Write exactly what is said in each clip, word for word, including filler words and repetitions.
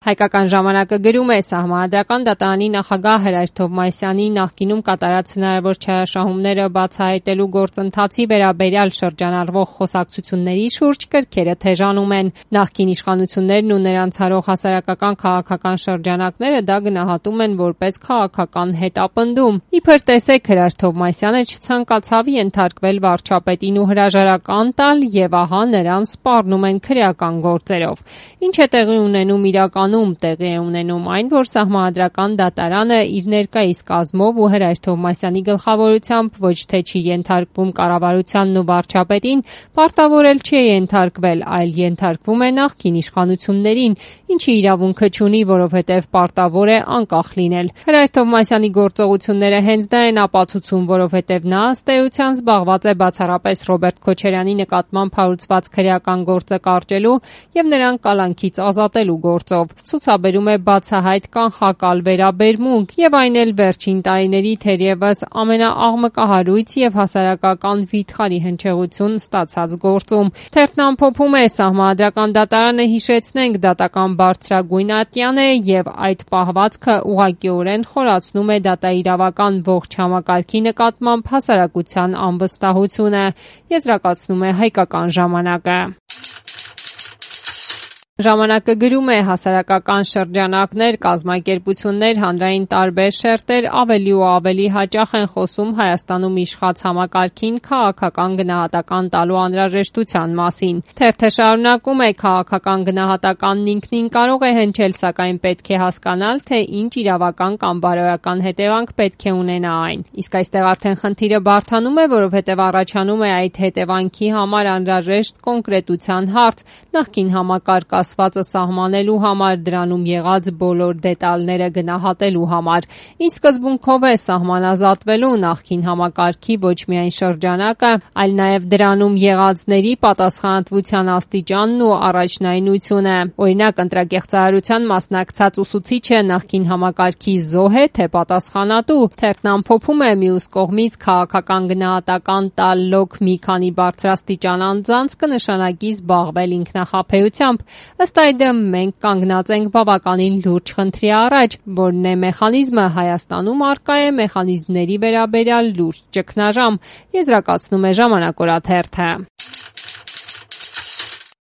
Հայկական ժամանակը գրում է Սահմանադրական դատարանի նախագահ Հրայր Թովմասյանի նախկինում կատարած հնարավոր չարաշահումները բացահայտելու գործընթացի վերաբերյալ շրջանառվող խոսակցությունների շուրջ կրքերը թեժանում են։ Նախկին իշխանություններն ու նրանց հարող հասարակական քաղաքական շրջանակները դա գնահատում են որպես քաղաքական հետապնդում։ Իբր տեսեք, Հրայր Թովմասյանը չցանկացավ ենթարկվել վարչապետին ու հրաժարական տալ, եւ ահա նրան սպառնում են քրեական գործերով։ Ինչ է տեղի ունենում իրական տեղի է ունենում այն, որ Սահմանադրական դատարանը իր ներկայիս կազմով ու Հրայր Թովմասյանի գլխավորությամբ ոչ թե չի ենթարկվում կառավարությանն ու վարչապետին, պարտավորել չի ենթարկվել, այլ ենթարկվում է նախկին իշխանություններին, ինչի իրավունքը չունի, որովհետև պարտավոր է անկախ լինել։ Հրայր Թովմասյանի գործողությունները հենց դա են ապացուցում, որովհետև նա ըստ էության զբաղված է բացառապես Ռոբերտ Քոչարյանի նկատմամբ հարուցված քրեական գործը կարճելու եւ նրան կալանքից ազատելու գործով։ Ցուցաբերում է բացահայտ կանխակալ վերաբերմունք եւ այն էլ վերջին տարիների թերևս ամենաաղմկահարույց եւ հասարակական վիթխարի հնչեղություն ստացած գործում։ Թերթն ամփոփում է Սահմանադրական դատարանը, հիշեցնենք, դատական բարձրագույն ատյան է եւ այդ պահվածքը ուղղակիորեն խորացնում է դատաիրավական ողջ համակարգի նկատմամբ հասարակության անվստահությունը, եզրակացնում է Հայկական ժամանակը։ Ժամանակը գրում է հասարակական շրջանակներ, կազմակերպություններ, հանրային տարբեր շերտեր ավելի ու ավելի հաճախ են խոսում Հայաստանում իշխած համակարգին քաղաքական գնահատական տալու անհրաժեշտության մասին։ Թերթը շարունակում է քաղաքական գնահատականն ինքնին կարող է հնչել, սակայն պետք է հասկանալ, թե ինչ իրավական կամ բարոյական հետևանք պետք է ունենա այն։ Իսկ այստեղ արդեն խնդիրը բարդանում է, որովհետև առաջանում է այդ հետևանքի համար անհրաժեշտ կոնկրետության հարց, նախկին համակարգ ասվածը սահմանելու համար, դրանում եղած բոլոր դետալները գնահատելու համար։ Ինչ սկզբունքով է սահմանազատվելու նախկին համակարգի ոչ միայն շրջանակը, այլ նաև դրանում եղածների պատասխանատվության աստիճանն ու առաջնայնությունը։ Օրինակ, ընտրակեղծարարության մասնակցած ուսուցիչը նախկին համակարգի զոհ է, թե պատասխանատու։ Թերթն ամփոփում է մյուս կողմից քաղաքական գնահատական տալլոք մի քանի բարձրաստիճան անձանց կնշանակի զբաղվել ինքնախաբեությամբ։ Ըստ այդմ մենք կանգնած ենք բավականին լուրջ խնդրի առաջ, որն է մեխանիզմը Հայաստանում առկա է մեխանիզմների վերաբերյալ լուրջ ճգնաժամ, եզրակացնում է Ժամանակ օրաթերթը։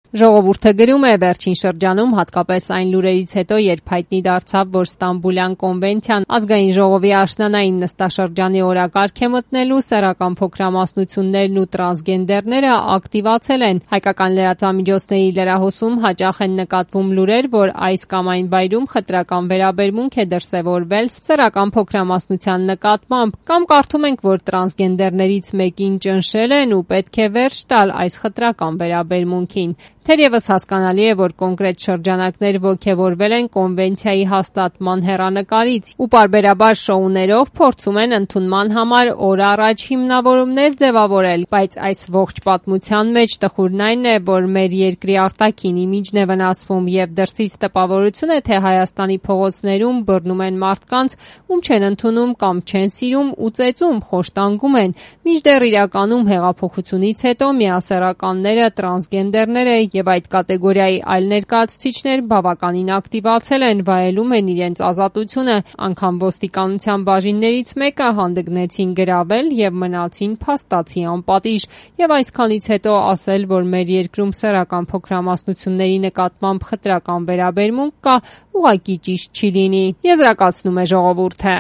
Ժողովուրդը գրում է վերջին շրջանում, հատկապես այն լուրերից հետո, երբ հայտնի դարձավ, որ Ստամբուլյան կոնվենցիան ազգային ժողովի աշնանային նստաշրջանի օրակարգ է մտնելու, սեռական փոքրամասնություններն ու տրանսգենդերները ակտիվացել են։ Հայկական լրատվամիջոցների լրահոսում հաճախ են նկատվում լուրեր, որ այս կամ այն վայրում խտրական վերաբերմունք է դրսևորվել սեռական փոքրամասնության նկատմամբ, կամ կարդում ենք, որ տրանսգենդերներից մեկին ճնշել են ու պետք է վերջ տալ այս խտրական վերաբերմունքին։ Թերևս հասկանալի է, որ կոնկրետ շրջանակներ ոգևորվել են կոնվենցիայի հաստատման հեռանկարից ու պարբերաբար շոուներով փորձում են ընդունման համար օր առաջ հիմնավորումներ ձևավորել, բայց այս ողջ պատմության մեջ տխուրն այն է, որ մեր երկրի արտաքին իմիջն է վնասվում եւ դրսից տպավորություն է, թե Հայաստանի փողոցներում բռնում են մարդկանց, ում չեն ընդունում կամ չեն սիրում ու ծեծում, խոշտանգում են, մինչդեռ իրականում հեղափոխությունից հետո միասեռականները, տրանսգենդերները եւ այդ կատեգորիայի այլ ներկայացուցիչներ բավականին ակտիվացել են, վայելում են իրենց ազատությունը, անգամ ոստիկանության բաժիններից մեկը հանդգնեցին գրավել եւ մնացին փաստացի անպատիժ, եւ այսքանից հետո ասել, որ մեր երկրում սեռական փոքրամասնությունների նկատմամբ խտրական վերաբերմունք կա, ուղղակի ճիշտ չի լինի, եզրակացնում է Ժողովուրդը։